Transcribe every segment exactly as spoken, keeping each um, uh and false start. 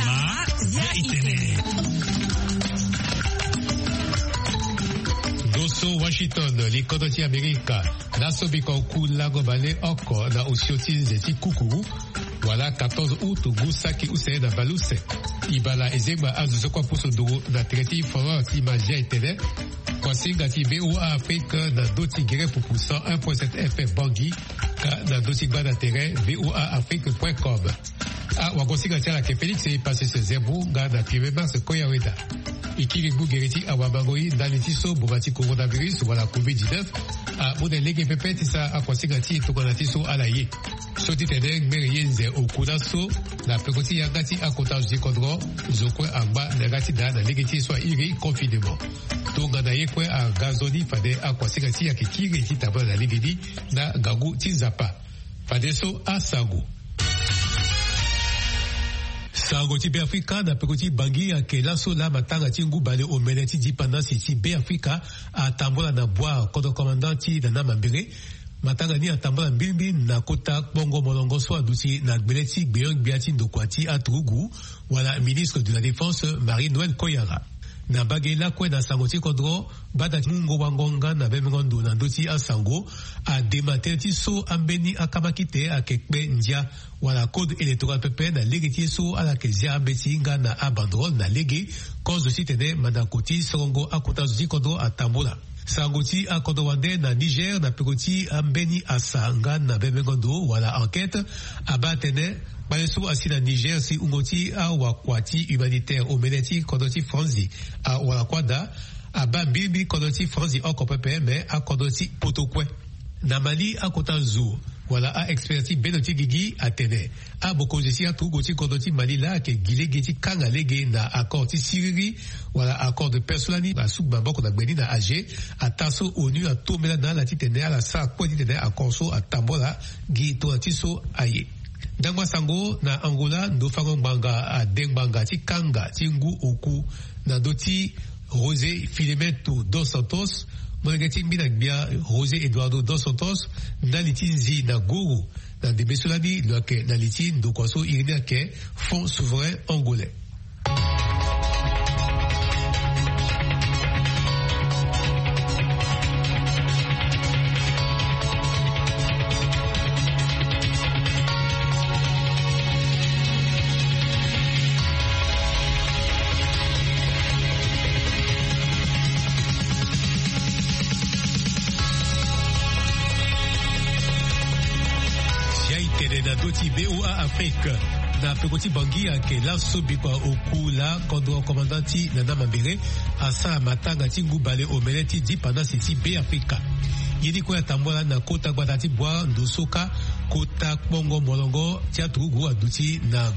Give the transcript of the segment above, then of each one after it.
Ma ya itene. Ndo so Washington, likodro ti Amerika, laso biko oku lango bale oko na osio ti nze ti kukuru, wala quatorze août, ngu saki use na baleuse. Ibala ezengba azo so kue apusu nduru na tere ti forum ti Mazia etene. Kuasinga ti V O A Afrique na ndö ti gere pupu cent un point sept F M Bangui, ka na ndö ti gbanda tere V O A Afrique point com. Awagosinga ti ala ayeke Félix Epasis Zembu nga na Clément Mars Koyaweda. E kiri ngu gere ti awamango ye ndali ti so mboma ti coronavirus wala covid dix-neuf amu na lege pepe ti sara akuasinga ti e tongana ti so ala ye. So ti tene ngbere ye nze oku laso na peko ti yanga ti akota zo ti kodro, zo kue angba na yanga ti daa na lege ti e so a iri confinement. Tongana ye kue aga nzoni fade akuasinga ti e ayeke kiri ti tambula na lege ni na ngangu ti Nzapa. Fadeso asango. Sango ti Beafrika na peko ti Bangui ayeke laso laa matanga ti ngu bale omene ti dipandasi ti Beafrika atambula na bua kodro komanda ti Nana Mambere. Matanga ni atambula mbirimbi na kota kpongo molongo so aduti na gbele ti gbenyo-gbia ti ndokua ti aturugu, wala ministre de la Défense, Marie Noël Koyara. Na mbage lakue na sango ti kodro, gbata ti mungo wango nga na bembengo ndo na ndö ti asango adema tënë ti so ambeni akamakite ayeke kpe ndia wala code électoral pepe na lege ti ye so ala yeke zia ambeti nga na abanderole na lege, kozo titene mandako ti sorongo akota zo ti kodro atambula. Sango ti akodro wande na Niger na peko ti ambeni asa nga na bembengo ndo wala enquête abaa atene kpale so asi na Niger si wungo ti awakua ti humanitaire omene ti kodro ti Franzi awara kuâ daa, abaa mbirimbi kodro ti Franzi oko pepe me akodro ti poto kue. Na Mali, akota zo wala a-expert ti bendo ti gigi atene abokonzi ti aturugu ti kodro ti Mali laa ayeke gi lege ti kanga lege na accord ti siriri wala accord de paix so lani asuku maboko na gbe ni na Alger, ataa so ONU atombela na ala titene ala sara kue titene accord so atambula gi tongana ti so aye. Ndangba sango na Angola, ndo fango ngbanga ade ngbanga ti kanga ti ngu oku na ndö ti José Filimento dos Santos, molenge ti ngbina gbia José Eduardo dos Santos, ndali ti nzi na goro na ndembe so lani lo yeke na li ti ndokua so iri ni ayeke Fonds Souverain Angolais. Sia e tene na ndö ti V O A Afrique. Na peko ti Bangui ayeke laso bikua oku laa kodro commandant ti Nana Mambere asara matanga ti ngu bale omene ti dipandasi ti Beafrika. Ye ni kue atambula na kota gbata ti Bua, ndo so kâ kota kpongo molongo ti aturugu aduti na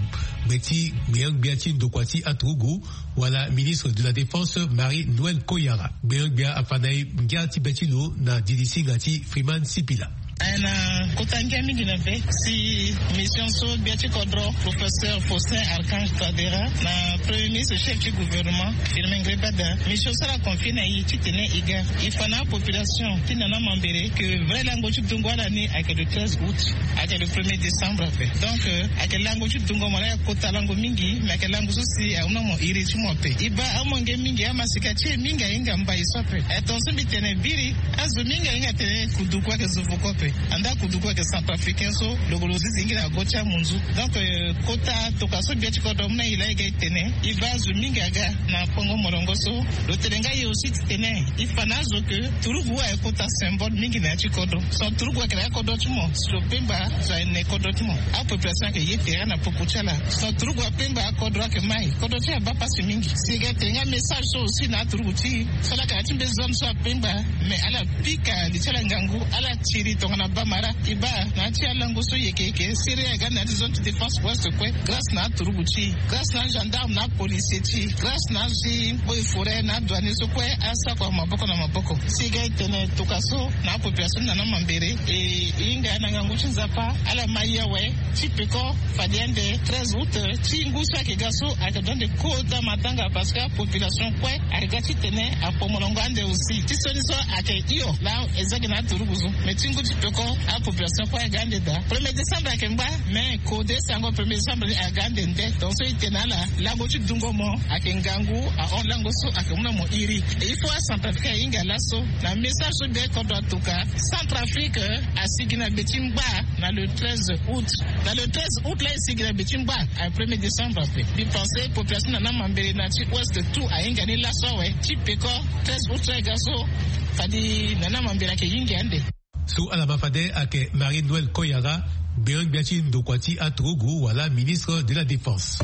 gbe ti gbenyo-gbia ti ndokua ti aturugu, wala ministre de la Défense Marie Noël Koyara. Gbenyo-gbia afa na e ngia ti be ti lo na dilisinga ti Freeman Sipila. Aye na kota ngia mingi na be si mission so gbia ti kodro, professeur Faustin Archange Touadéra, na premier ministre chef ti gouvernement Firmin Ngrébada, mission so ala confié na e titene e ga e fa na apopulation ti Nana Mambere ke vrai lango ti dungo ala ni ayeke le treize août, ayeke le premier décembre ape. Donc, euh, ayeke lango ti dungo mo laa ayeke kota lango mingi, me ayeke lango so si ahunda mo iri ti mo ape. E baa amolenge mingi, amasika ti e mingi ahinga mbai so ape. Eh, tongaso mbi tene biri, azo mingi ahinga atene kuduku ayeke zo voko ape. Anda kuduku ayeke centrafricain so lo ke lo zizi hingi na go ti amunzu. Donc, euh, kota tokua so gbia ti kodro amu na e laa e ga e tene, e baa azo mingi aga na kpongo molongo so. Lo tene nga e aussi titene e fa na azo ke turugu aye kota symbole mingi na ya ti kodro. Son turugu ayeke na ya kodro ti mo. Si lo pemba, zo aye na kodro ti mo. Apopulation ayeke ye tere na popo ti ala. Son turugu apemba, akodro ayeke mai. Kodro ti e abaa pasi mingi. Si e ga e tene nga message so aussi na aturugu ti e so laa ayeke na ya ti mbe zone so apemba. Mais ala pika li ti ala ngangu, ala tiri tongana bamara. E baa na ya ti alango so yeke yeke, siriri aga na ya ti zone ti défense ouest kue, grâce na aturugu ti e, grâce na agendarme na apolicier ti e, grâce na azo ti eaux et forêts na adouanier so kue asakua maboko na maboko. Si e ga e tene tokua so na apopulation ti Nana Mambere, e hinga na ngangu ti Nzapa, ala ma ye awe ti peko fade ande treize août ti ngu so ayeke ga so ayeke ndo ande kota matanga, parce que apopulation kue ayeke ga titene apo molongo ande aussi. Ti sioni so ayeke hio laa e zia gi na aturugu so. Mais ti ngu ti peko Apopulation kue aga ande daa. Premier décembre ayeke ngba. Mais kode sango premier décembre ni aga ande nde. Donc so e tene na ala, lango ti dungo mo ayeke ngangu. Ahon lango so ayeke mu na mo iri. Il faut acentrafricain ahinga laso. Na message so be kodro atuka, Centrafrique asigi na be ti ngba. Na le treize août, na le treize août la e sigi na be ti ngba. Premier décembre ape. Mbi pense population na na mambele na ti ouest tout ahinga ni laso awe. Ti peko treize août la e ga so, fadi na na mambele ayeke hinga ande. So ala ma fade ayeke Marie Noël Koyara, gbenyo-gbia ti ndokua ti aturugu wala ministre de la défense.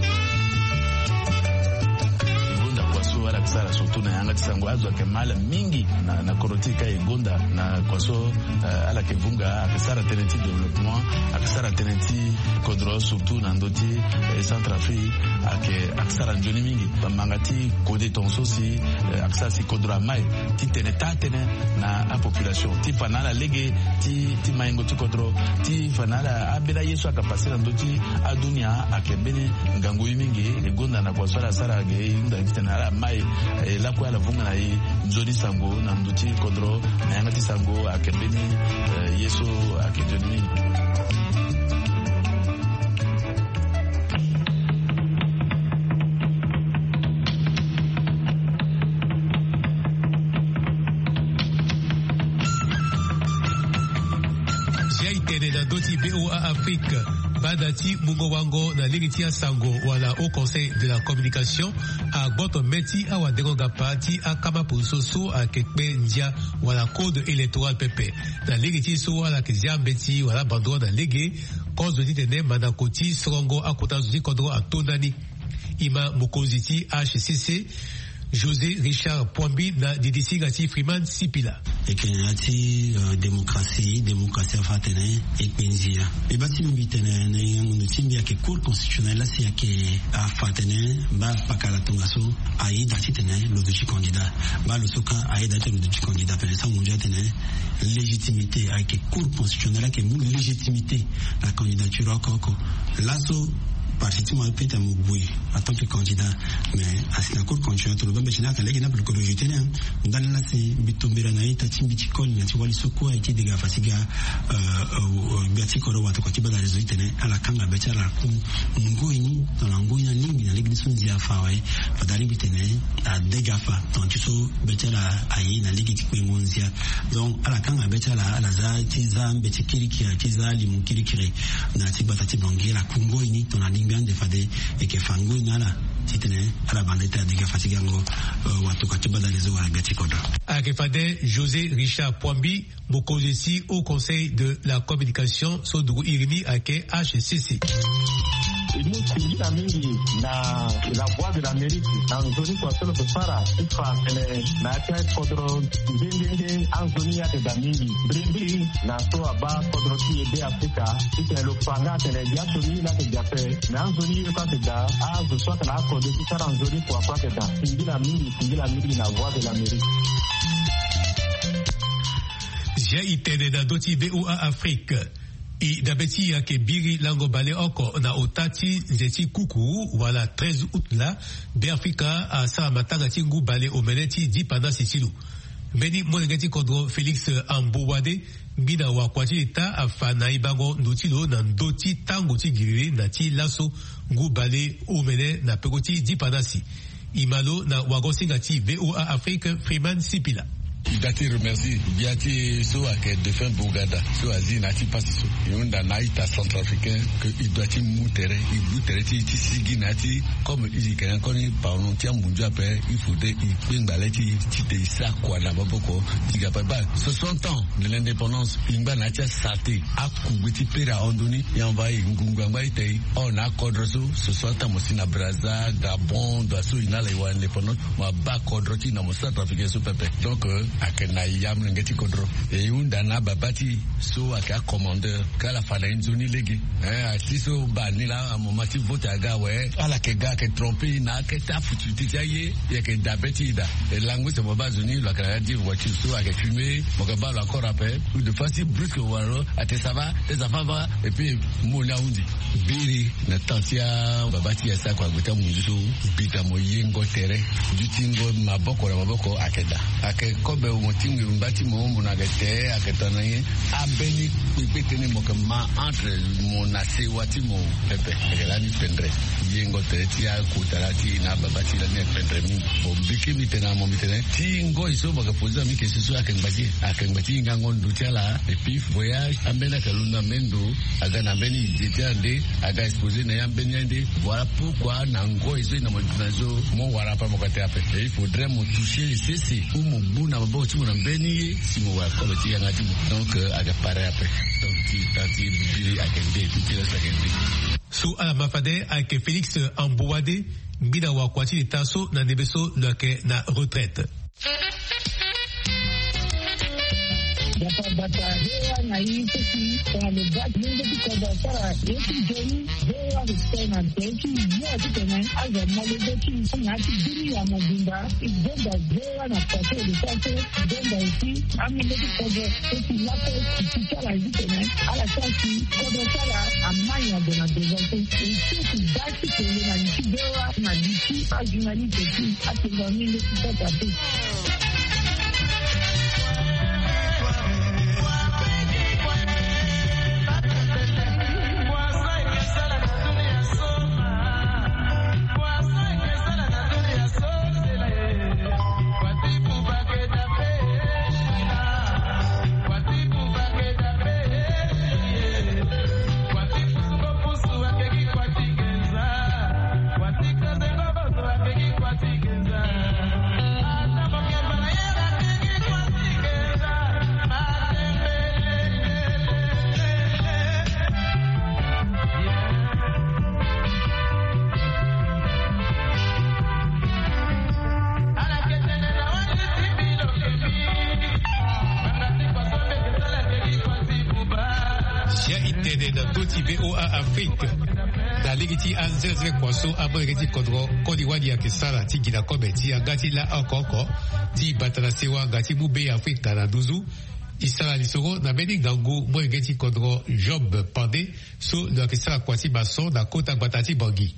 E gonda kua so ala yeke sara surtout na yanga ti sango, azo ayeke ma ala mingi na, na kodro ti e ka e gonda na kua so, eh, ala yeke vunga, ayeke sara tënë ti développement, ayeke sara tënë ti kodro surtout na ndö ti, eh, Centrafrique, ayeke, ayeke sara nzoni mingi. Bamanga ti kode tongaso si, eh, ayeke sara si kodro amai titene taa tënë na apopulation ti fa na ala lege ti, ti maingo ti kodro, ti fa na ala ambeni aye so ayeke pase na ndö ti adunia ayeke mbeni ngangu ye mingi. E gonda na kua so ala sara ge e hunda titene ala mai, eh, lakue ala vunga na e nzoni sango na ndö ti kodro. Na yanga ti sango ayeke mbeni, eh, ye so ayeke nzoni mingi. Zia e tene na ndö ti VOA Afrique, banda ti mungo wango na lege ti asango wala Haut Conseil de la Communication agboto mê ti awadengo-ngapa ti akama poroso so ayeke kpe ndia wala code électoral pepe. Na lege ti so ala yeke zia mbeti wala bandro na lege, kozo titene mandako ti sorongo akota zo ti kodro ato ndani. E ma mokonzi ti H C C, José Richard Poimbi na didisinga ti Freeman Sipila. Eke na ya ti, euh, démocratie, démocratie afa atene e kpe ndia. E baa ti mbi tene na yengo ndo ti mbi ayeke Cour constitutionnelle la si ayeke afa atene mba pakala tongaso ayeda titene lo duti candidat. Mba lo so kâ ayeda titene lo duti candidat, pene sango ndia atene légitimité ayeke Cour constitutionnelle ayeke mu légitimité na candidature oko oko. Laso parti ti mo ape tene mo gue en tant que candidat. Mais asi na Cour constitutionnelle tongana lo baa mbeti ni ayeke lege ni ape lo ko rejeté ni, hein. Ndani la si mbi tombela na ita ti mbi ti koli na ti wali so kue aye ti dega fatiga, euh, euh, gbia ti kodro watokua ti baa na réseau ti tene ala kanga be ti ala ku ngoi ni tongana ngoi ni alingbi na lege ni so ndia afa awe. Fade alingbi tene adega afa tongana ti so be ti ala aye na lege ti kpengo ndia. Donc ala kanga be ti ala, ala za ti za mbeti kirikiri, ti za limu kirikiri na ya ti gbata ti Bangui, ala ku ngoi ni tongana alingbi ande fade e yeke fa ngoi na ala titene ala banda ti tene adega fatigango, euh, watokua ti baa na réseau wala gbia ti kodro. Ayeke fade José Richard Poimbi, mokonzi ti Haut Conseil de la Communication so dugu iri ni ayeke H C C. E mu singila mingi na La Voix de l'Amérique na nzoni kua so lo yeke sara ti fa tene na ya ti akodro nde nde nde anzoni ayeke daa mingi mbirimbiri na so abaa kodro ti e Be Afrika titene lo fa nga atene ya so ni la yeke ga ape. Me anzoni ye kue ayeke daa, azo so ayeke na akode ti sara nzoni kua kue ayeke daa. Singila mingi, singila mingi na Voix de l'Amérique. Zia e tene na ndö ti VOA Afrique. E dabe ti e ayeke biri lango baleoko na ota ti nze ti kukuru wala treize août laa, Be Afrika asara matanga ti ngu bale omene ti dipandasi ti lo. Mbeni molenge ti kodro Félix Ambowade, ngbina wakua ti leta, afa na e bango ndo ti lo na ndö ti tango ti giriri na ti laso ngu bale omene na peko ti dipandasi. E ma lo na wago-singa ti VOA Afrique, Freeman Sipila. E daa ti remercie gbia ti e so ayeke défunt Bourgada so azi na ya ti pasi so. E hunda na a-ita centrafricain que e doit ti mu tere, e gbu tere ti e ti sigi na ya ti, comme e yeke na koni pardon ti amunzu ape, il faudrait e kpengba le ti e titene e sara kua na maboko ti ga ape. Baa soixante ans de l'indépendance, e ngba na ya ti asarte, akugbe ti pere ahon ndoni, e envoyé ngungu angba ita e hon na akodro so, soixante ans mo si na Brazza, Gabon, ndo so e na ala e wara indépendance, mo abaa kodro ti e na mo centrafricain so pepe. Donc, euh, ayeke na ya molenge ti kodro. E hunda na ababa ti e so ayeke acommandeur, ka ala fa na e nzoni lege. Eh, ati so baa ni laa, amoma ti vote aga awe. Ala yeke ga ayeke trompe e na akete afutufutu ti aye, e yeke dabe ti e daa. E lango use mo baa zo ni lo yeke na ya ti voiture so ayeke fumer, mo yeke baa lo encore ape. Ou de fois si brusque wala lo ate ça va, tes enfants va, et puis mo ni ahunzi. Biri na temps ti ababa ti e asara kua gbe ti amunzu so, bita mo yengo tere, dutingo maboko na maboko ayeke daa. Ayeke comme Mo tingbi mba ti mo, mo na yeke te, ayeke tongana nyen? Ambeni kpekpe tënë mo yeke ma entre mo na sewa ti mo pepe. Ayeke lani pendre. Yengo tere ti akota laa ti e na ababa ti e lani ayeke pendre mingi. Bon, mbi kiri mbi tene na mo, mbi tene ti ngoi so mo yeke poze na mbi question so ayeke ngba ti e. Ayeke ngba ti hingango ndo ti ala. Et puis voyage ambeni ayeke londo na mbeni ndo. Aga na mbeni idée ti ande, aga exposé na ya mbeni ande. Voilà pourquoi na ngoi so e na mo duti na so mo wara ape, mo ka te ape. Et il faudrait mo toucher sese ou mo gbu na maboko ti mo na mbeni ye si mo wara kobe ti yanga ti mo. Donc, euh, aga pare ape. Donc ti, ti biri ayeke nde, ti ti reste ayeke nde. So ala ma fade ayeke Félix Ambouade, ngbina wakua ti leta so na ndembe so lo yeke na retraite. Bata bata, hewa na ye seki, tongana lo baa ti lenge ti kodro asara ye ti nzoni, hewa lo sara na tere ti ya ti tene azo amolenge ti na ya ti bini ya mobimba. E zonza hewa na pase lo sara so, e zonza aussi amolenge ti kodro so si laso si ti ti ala ye ti tene ala sara si kodro ti ala amai na ndo na devant so. E so si baa ti kele na li ti hewa na li ti ajournaliste ti atengo amolenge ti kodro ate. Sia e tene na ndö ti V O A Afrique. Na lege ti anzenzere kua so amolenge ti kodro koli wali ayeke sara ti gi na kobe ti yanga ti laa oko oko ti bata na sewa nga ti mu be Afrika na nduzu. E sara lisoro na mbeni ngangu molenge ti kodro Job Pandé so lo yeke sara kua ti maçon na kota gbata ti Bangui.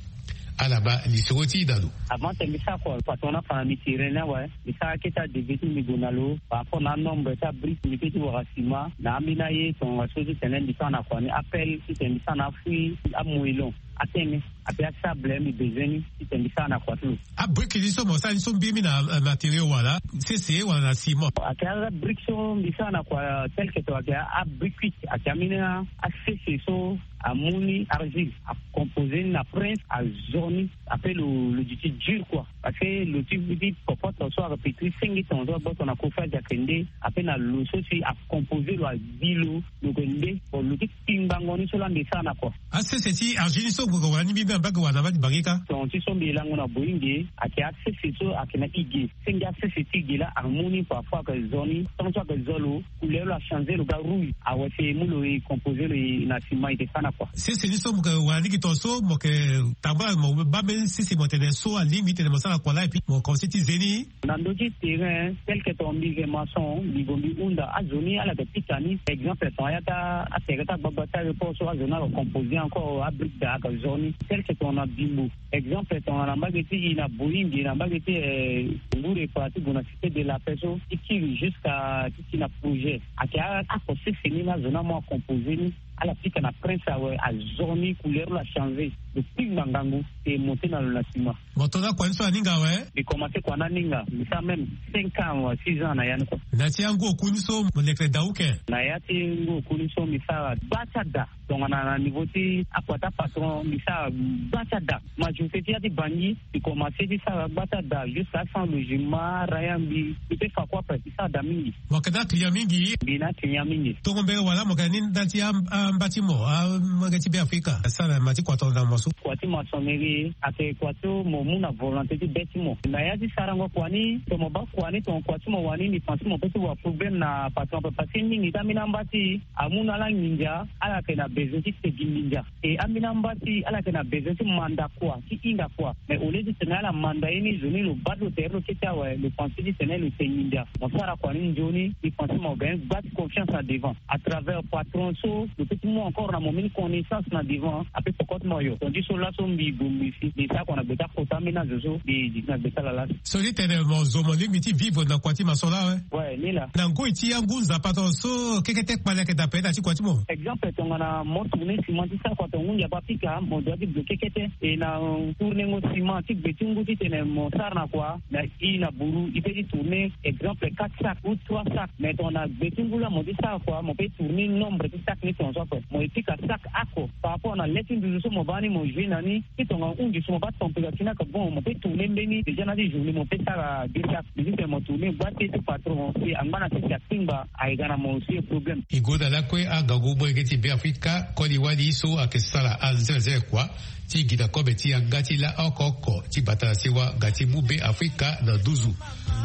Ala ma lisoro ti e na lo. Avant tene mbi sara kua, patron ni afa na mbi ti ren ni awe. Mbi sara kete adeve ti mbi gue na lo par rapport na anombre ti abrique mbi kiri ti wara ciment na ambeni aye tongana so ti tene mbi sara na kua ni, appel ti tene mbi sara na afui, amoellon, atene, ape asable mbi besoin ni ti tene mbi sara na kua ti lo. Abrique ni so mo sara ni so mbiri mingi na, eh, matériau wala sese wala na ciment? Ayeke abrique so mbi sara na kua tel que tongana ayeke abrique, ayeke ambeni asese so amu ni argile, acomposé ni na prince, azo ni. Après lo, lo duti dur quoi. Parce que lo ti, ti popote so ayeke pétri cinq tonnes so agboto na chauffage ayeke nde. Après na lo so si acomposé lo, agbi lo, lo yeke nde. Bon, lo ti kpingbango ni so laa mbi sara na kua. Asese ti argile ni so mo yeke wara ni mbi mbi na mbage wala na mbage ti Bangui kâ? Ton ti so mbi lango na Boyinge, ayeke asese so ayeke na ige. Senge asese ti ige laa amu ni parfois ayeke zo ni. Tant so ayeke zo lo, couleur lo achangé, lo ga rouge. Awe si e mu lo e composé lo e na ciment e yeke sara na kua. Sese ni so mo yeke wara ni gi ton so mo yeke tambula mo baa mbeni sese mo tene so alingbi ti tene mo sara na kua laa et puis mo commencé ti ze ni. Na ndö ti terrain tel que ton mbi yeke maçon, mbi gue mbi hunda azo ni ala yeke pika ni. Exemple ton aya ti atere ti agbagba ti aéroport so azo ni ayeke composé encore abrique daa ayeke zo ni. Tel que ton na Bimbo. Exemple tongana na mbage ti e na Boyinge, na mbage ti, eh, Ngour-Eppa ti gue na Cité de la Paix so ti kiri jusqu'à ti ti na projet. Ayeke a, ako sese ni laa zo ni amu acomposé ni. Ala pika na prince awe, azo ni couleur lo achangé. Lo kpingba ngangu, e monté na lo na ciment. Mo to na kua ni so aninga awe? Mbi commencé kua ni aninga, mbi sara même cinq ans awe, six ans na ya ni kua. Na ya ti angu oku ni so mo lekere daa uke? Na ya ti ngu oku ni so mbi sara gba ti ada. Tongana na niveau ti akua ti apatron mbi sara gba ti ada. Majorité ti ya ti Bangui, mbi commencé ti sara gba ti ada jusqu'à sans logement, araya mbi, mbi peut fa kue ape, mbi sara da mingi. Mo yeke na client mingi? Mbi na client mingi. Tongo mbere wala mo yeke na ni ndali ti a, amba ti mo, amolenge ti Be Afrika asara na ma ti kua tongana mo so? Kua ti maçonnerie ayeke kua so mo mu na volonté ti be ti mo. Na ya ti sarango kua ni, tongana mo baa kua ni, tongana kua ti mo wani, mbi pense ti mo peut ti wara problème na patron ape parce que mingi ti ambeni amba ti e amu na ala nginza, ala yeke na besoin ti tegi nginza. E ambeni amba ti e ala yeke na besoin ti manda kua, ti hinga kua. Mais au lieu ti tene ala manda ye ni, zo ni lo baa ti lo tere ti lo kete awe, lo pense ti tene lo tegi nginza. Mo sara kua ni nzoni, mbi pense ti mo gagne gba ti confiance na devant. À travers patron so, lo peut ti mu encore na mo mbeni connaissance na devant, ape poko ti mo yo. Ti so laso mbi gue mbi si mbi sara kua na gbe ti akota ambeni azo so mbi zi ti na gbe ti ala laso. So ti tene mo zo mo lingbi ti vivre na kua ti maso laa awe. Ouais, ni laa. Na ngoi ti angu nzapa tongaso so kekete kpale ayeke daa pene na ti kua ti mo. Exemple tongana mo tourner ciment ti sara kua tonga ngu nzapa apika mo doit ti gue kekete. E na tournengo ciment ti gbe ti ngu titene mo sara na kua na i na buru i pe ti tourner exemple quatre sacs ou trois sacs. Mais tongana gbe ti ngu laa mo ti sara kua mo pe tourner nombre ti sacs ni tongaso ape. Mo e pika sacs oko par rapport na le ti nduzu so mo baa ni mo jouer na ni. Ti tongana hunzi so mo baa température ni aka bon mo pe tourner mbeni déjà na ti journée mo pe sara deux sacs. Mais titene mo tourner gba te ti patron si angba na sese akpingba. Aye ga na mo aussi problème. E gue na lakue angangu molenge ti Be Afrika koli wali so ayeke sara anzenze kua ti gi na kobe ti yanga ti la oko oko ti bata na sewa ga ti mu Be Afrika na nduzu.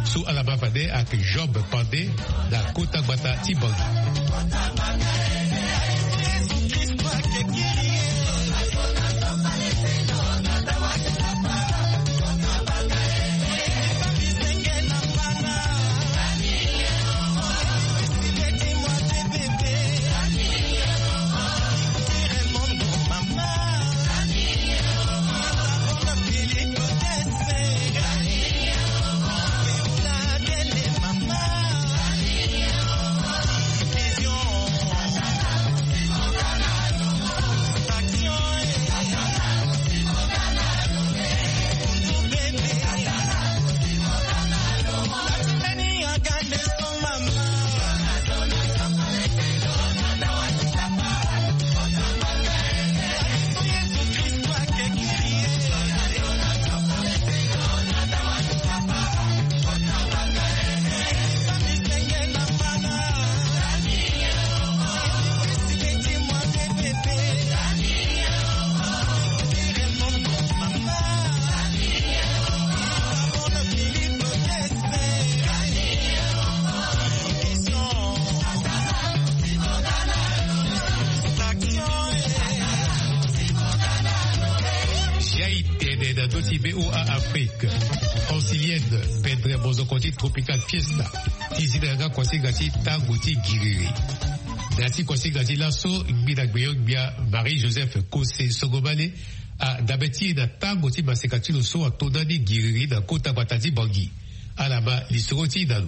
So ala ma fade ayeke Job Pande na kota gbata ti Bangui. Jai tene na ndö ti V O A Afrique. Francilienne, pendre mozoko ti Tropical Fiesta ti zi na yanga kuasinga ti tango ti giriri. Na ya ti kuasinga ti laso, ngbi na gbeyo-gbia Marie Joseph Kose Sogomale, adabe ti e na tango ti maseka ti lo so ato ndani giriri na kota gbata ti Bangui. Ala ma lisoro ti e na lo.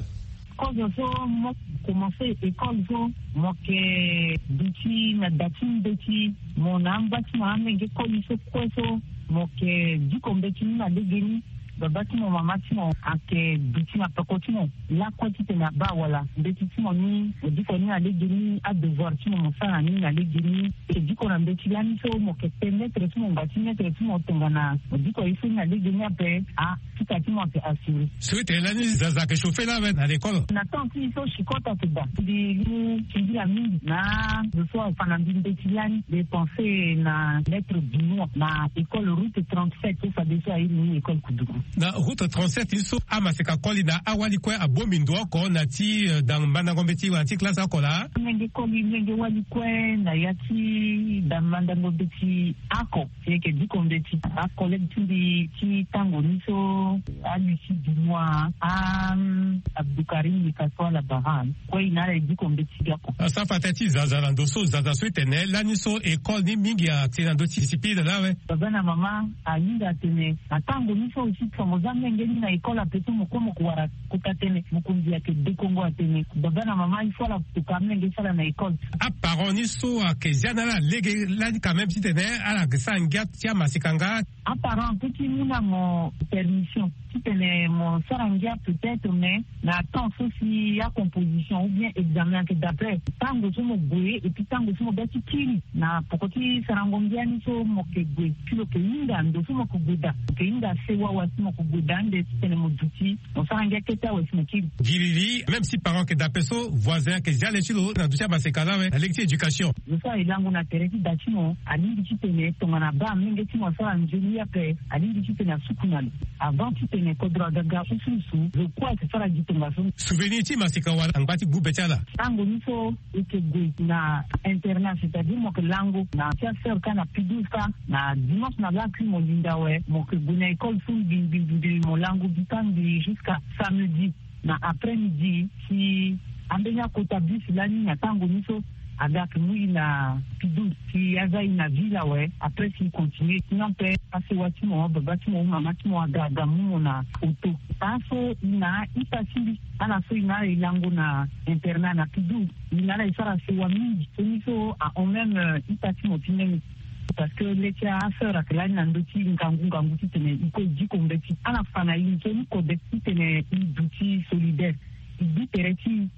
Kozo so mo commencé école so, mo yeke duti na da ti mbeti, mo na amba ti mo amenge koli so kue so, mo yeke diko mbeti ni na legeni. Baba ti mo, mama ti mo ayeke duti na peko ti mo lakue titene abaa wala mbeti ti mo ni, mo diko ni na legeni, adevoir ti mo mo sara na ni na legeni. E diko na mbeti lani so mo yeke permettre ti mo ngba ti maître ti mo tongana mo diko ye so ni na legeni ape, a, pika ti mo ayeke assuré. So ete lani zaza ayeke chauffer laa awe na l'école? Na temps ti e so chicot ayeke daa. Mbi mu singila mingi na zo so afa na mbi mbeti lani. Mbi pensé na maître Benoît na école route trente-sept so fadeso airi ni école Koudougou. Na route trente-sept ni so amaseka koli na awali kue abongbi ndo oko na ya ti, eh, da mandango mbeti wala ti classe oko laa? Amenge koli, menge wali kue na ya ti da mandango mbeti oko. E yeke diko mbeti. Acollègue ti mbi ti tango ni so, a Lucie Dumois, a, mm, Abdoukarim Likasoa Labaran, kue e na ala e diko mbeti ga oko. Asara fa tënë ti zaza na ndo so, zaza so e tene lani so école ni mingi ati na ndö ti discipline laa awe. Baba na mama ahinga atene na tango ni so aussi tongana mo za menge ni na école ape so mo kue mo ko wara kota tënë, mokonzi ayeke dekongo atene baba na mama il faut ala toka amenge ti ala na école. Aparent ni so ayeke zia na ala lege lani quand même titene ala yeke sara ngia ti amaseka nga. Aparent apeut ti mu na mo permission titene mo sara ngia peut-être, mais na temps so si acomposition ou bien examen ayeke daa ape, tango so mo gue et puis tango so mo ga ti kiri na poko ti sarango ngia ni so mo yeke gue, si lo yeke hinga ndo so mo yeke gue daa, lo yeke hinga sewa wala si mo yeke gue daa ande titene mo duti mo sara ngia kete awe si mo kiri. Giriri, même si parent ayeke daa ape so, voisin ayeke zia le ti lo na ndo ti amaseka laa awe na lege ti éducation. Lo so aye lango na tere ti da ti mo alingbi titene tongana abaa amenge ti mo asara nzoni ape, alingbi titene asuku na lo avant titene kodro aga ga usuusu. Lo kue ayeke sara gi tongaso. Souvenir ti maseka wala angba ti gbu be ti ala? Tango ni so e yeke gue na internat, c'est-à-dire mo yeke lango na ti aseur kâ na P douze kâ, na dimanche na lakui mo linda awe mo yeke gue na école so mbi mbi mbi mo lango bita mbi jusqu'à samedi na après-midi. Si ambeni akota bus lani na tango ni so Aga ake mu i na Pidou, si aza i na ville awe. Après si i continue, sinon pe asewa ti mo, baba ti mo, mama ti mo aga aga mu mo na auto. Laso i na ita ti mbi, ala so i na ala e lango na internat na Pidou. I na ala e sara sewa mingi. Soni so ahon même ita ti mo ti nene. Parce que le ti aseur ake lani na ndö ti ngangu ngangu titene i ko diko mbeti. Ala fa na i nzoni kode titene i duti solidaire. I bi tere ti i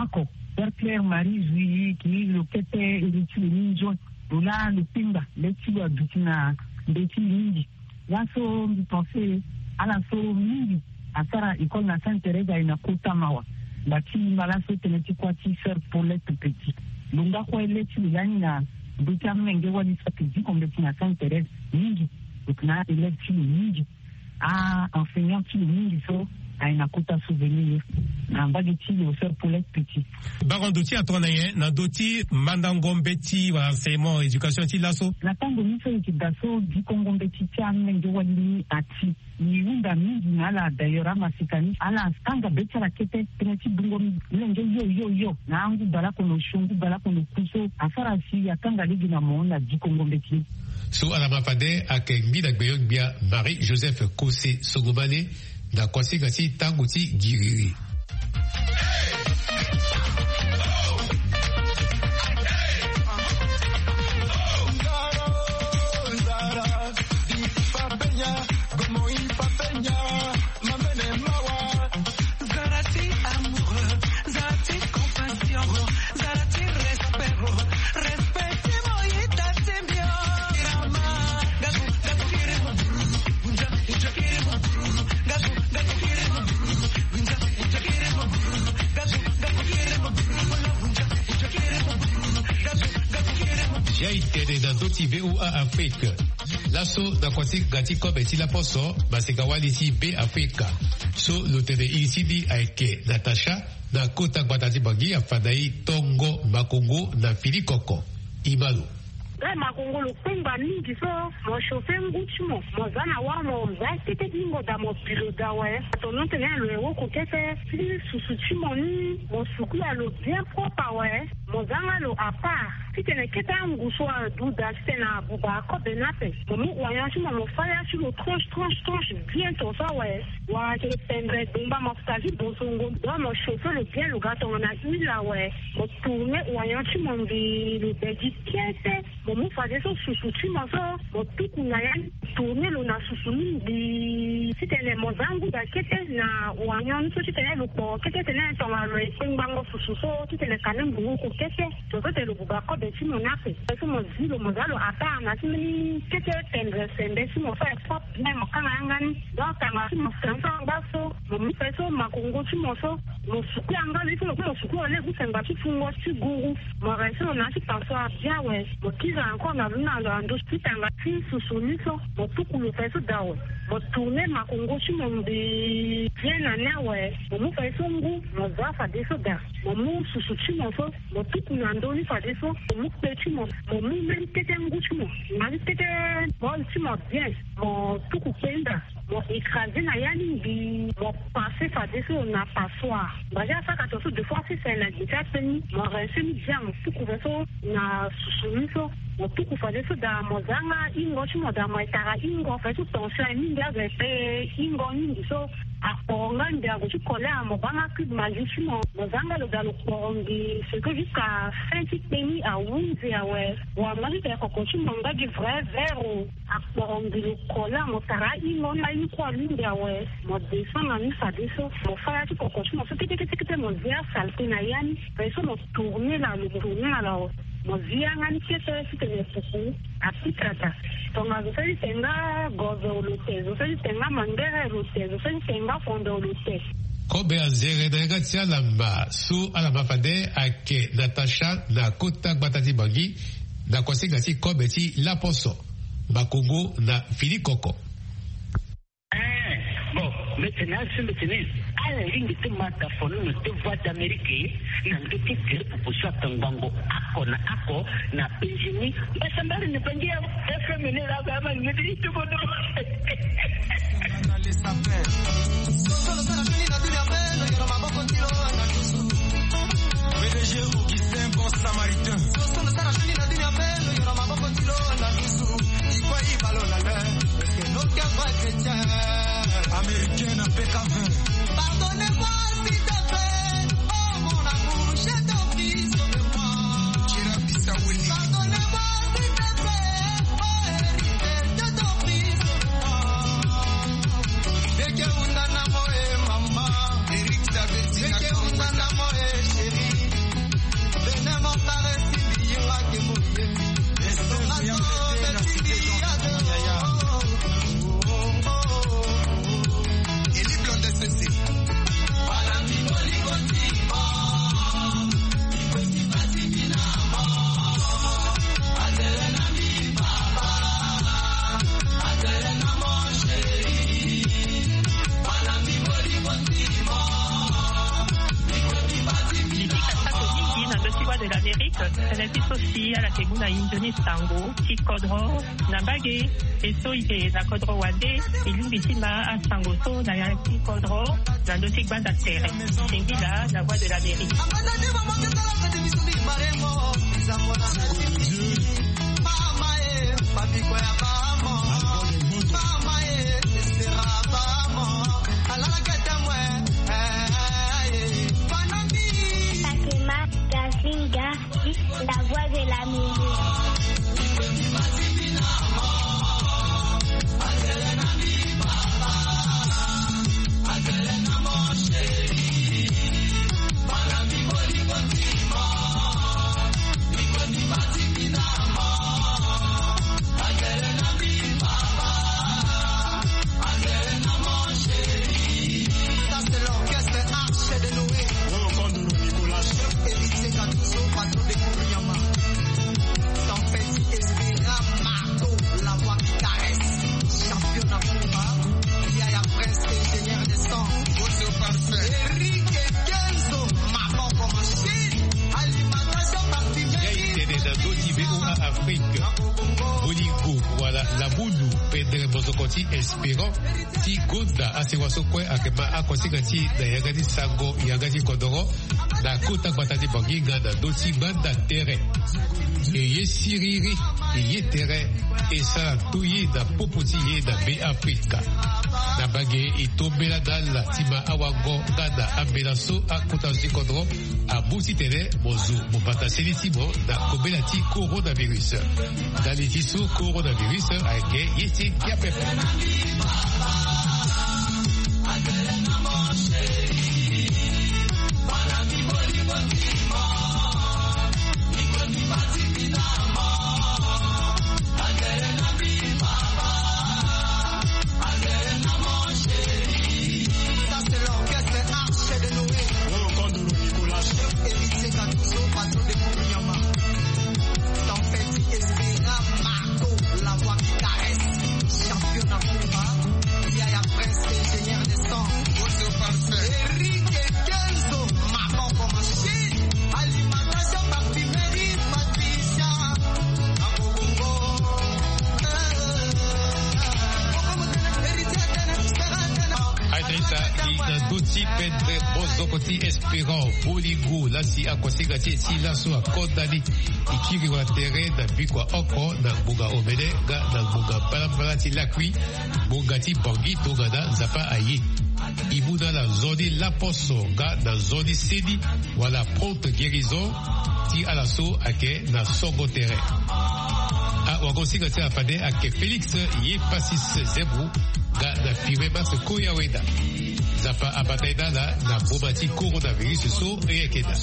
oko. Père Claire Marie Zui, ki lo kete ere ti lo ni nzoni. Lo laa lo pengba le ti lo aduti na mbeti mingi. Laso mbi pense ala so mingi asara école na Sainte Thérèse aye na kota mawa. Ngba ti mba laso tënë ti kuâ ti sœur Paulette Petit. Lo nga kue le ti lo lani na ndö ti amolenge wali so ayeke diko mbeti na Sainte Thérèse mingi. Lo yeke na élève ti lo mingi. A enseignant ti lo mingi so aye na kota souvenir na mbage ti lo sœur Paulette Petit. Baro ndo ti atongana nyen na ndö ti mandango mbeti wala enseignement éducation ti laso? Na tango ni so e yeke daa so dikongo mbeti ti amolenge wali ni ati. E hunda mingi na ala, d'ailleurs amaseka ni ala kanga be ti ala kete tënë ti bungo molenge yo yo yo na angu baleoko na osio, ngu baleoko na oku so asara si akanga lege na mo na dikongo mbeti ni. So ala ma fade ayeke ngbina gbenyo-gbia Marie Joseph Kose Songomane na kuasinga ti tango ti giriri. Ti a e tene na ndö ti V O A Afrique. Laso na kuasinga ti kobe ti laposo, maseka wali ti Be Afrika so lo tene iri ti ni ayeke Natacha, na kota gbata ti Bangui, afa na e tongo makongo na fini koko. E ma lo. Nga makongo lo kpengba mingi so, mo chauffer ngu ti mo, mo za na wâ, mo za kete ti hingo daa, mo bi lo daa awe. Ato non tene lo ye woko kete ti susu ti mo ni, mo sukula lo bien propre awe. Mo za nga lo à part titene kete angu so adu daa titene abuba akobe ni ape. Mo mu oignon ti mo, mo fâ ya ti lo tranche tranche tranche bien ton so awe. Wala ayeke pendre dongba mo fa ti bosongo. Donc mo chauffer lo bien, lo ga tongana huile awe. Mo tourner oignon ti mo mbi lo bedi kete. Mo mu fadeso susu ti mo so, mo tuku na ya ni, tourner lo na susu ni mbi titene mo za ngu daa kete na oignon ni so titene lo kporo kete, titene tongana lo ye kpengbango susu so titene kani mbi woko kete. Tongaso tene lo buba kobe ti mo ni ape. Fadeso mo zi lo, mo za lo à part na ti mbeni kete tendre sembe ti mo so aye propre bien, mo kanga yanga ni. Donc tanga ti mo sembe so angba so, mo mu fadeso makongo ti mo so, mo suku yanga ni so, mo suku lo lege ti sengba ti fungo ti guru. Mo rincer lo na ya ti passoire bien awe. Mo kiri encore na luna lo na ndö ti tanga ti susu ni so, mo tuku lo fadeso daa awe. Mo tourner makongo ti mo mbi bien na ni awe. Mo mu fadeso ngu, mo za fadeso daa. Mo mu susu ti mo so, mo tuku na ndö ni fadeso. Mo mu kpe ti mo, mo mu mbeni kete ngu ti mo, na mbeni kete bol ti mo bien. Mo tuku kpe ni daa. Mo écraser na ya ni mbi, mo passer fadeso na passoire. Mbazi asaka tongaso deux fois six na gbe ti akpe ni, mo rincer ni bien, mo tuku fadeso na susu ni so. Mo tuku fadeso daa, mo za nga hingo ti mo daa, mo ye tara hingo, fadeso tension aye mingi azo aye pe hingo mingi so. Akporo nga mbi ague ti colère, mo baa nga cube Maggi ti mo, mo za nga lo daa lo kporo mbi, c'est que jusqu'à fin ti kpe ni ahunzi awe. Wa mo ti tene koko ti mo nga gi vrai vert o. Akporo mbi lo kola, mo tara ahingo ni, ahingo kue alingbi awe. Mo descend na ni fadeso, mo fâ ya ti koko ti mo so kete kete kete, mo zia saleté na ya ni. Fadeso mo tourner na lo, mo tourner na lo awe. Mo zia nga ni kete titene pupu apika daa. Tongaso so ti tene nga gozo lo te, zo so ti tene nga mangere lo te, zo so ti tene nga fondo lo te. Kobe anzere na yanga ti ala ma so ala ma fade ayeke Natacha na kota gbata ti Bangui. Na kosinga ti kobe ti laposo, makongo na fini koko. Eh, bon, mbi tene asu mbi tene ala lingbi ti ma tafono na ti Voix d'Amérique na ndö ti gere pupu so atongbango oko na oko na penzi ni. Mbasambari ni Bangui ya F M ni la ba ma ni ti bodo. P D G Augustin, bon samaritain. Pardonnez-moi, s'il te plaît. Oh, mon amour, j'ai tant pris soin de moi. Pardonnez-moi, s'il te plaît. Oh, héritier, j'ai tant pris soin de moi. Eke unda na mo, eh, maman. Eke unda na mo, eh, chérie. Venez mon caresse, il y aura que mon Dieu. Mingi na ndö ti Voix de l'Amérique, tene ti so si ala ke mu na e nzoni sango ti kodro na mbage. E so e ke na kodro wande, e lingbi ti ma asango so na ya ti kodro na ndö ti gbanda tere. Singila na Voix de l'Amérique. Fatima Gazinga, la voix de l'Amérique. Ça, c'est l'orchestre Arche de Noé. Héritier Gattuso, patron de Kuriyama. Tempête Espera Marco, la voix qui caresse. Champion d'Afrique. Yaya Prince, ingénieur de son. Eric Kenzo, maman comme machine. Alimentation parfumerie. Yai tene na ndö ti V O A Afrique. Bolingo wala labulu, pendre mozoko ti Espérant ti gonda asewa so kue ayeke ma akosinga ti e na yanga ti sango yanga ti kodoro na kota gbata ti Banginga na ndö ti gbanda tere. E ye siriri, e ye tere, e sara ndoye na popo ti e na Beafrika. Na mbage e tombela na ala ti ma awango nga na ambela so akota zo ti kodro amu titene mo zo mo bata seni ti mo na kobela ti coronavirus. Ndali ti so coronavirus ayeke ye ti ngia pepe. Ça, c'est l'orchestre Arche de Noé. Héritier Gattuso, patron de Kuriyama. Tempête Espera Marco, la voix qui caresse. Champion d'Afrique. Yaya Prince, ingénieur de son. Eric Kenzo, maman comme machine. Alimentation, parfumerie, Patricia. Abongo. Aita aita, e na ndö ti pendre mozoko ti Espérant Bolingo, la si akosinga ti e ti laso akonda ni. E kiri wala tere na bikua oko na ngbonga omene nga na ngbonga mbalambala ti lakui, ngbonga ti Bangui tongana Nzapa aye. E mu na ala nzoni laposo nga na nzoni seni wala prompte guérison ti ala so ayeke na songo tere. Awagosinga ti ala fade ayeke Félix Yepasis Zebro nga na Firmin Max Koyaweda. Nzapa abata e na ala na boma ti coronavirus so e yeke daa.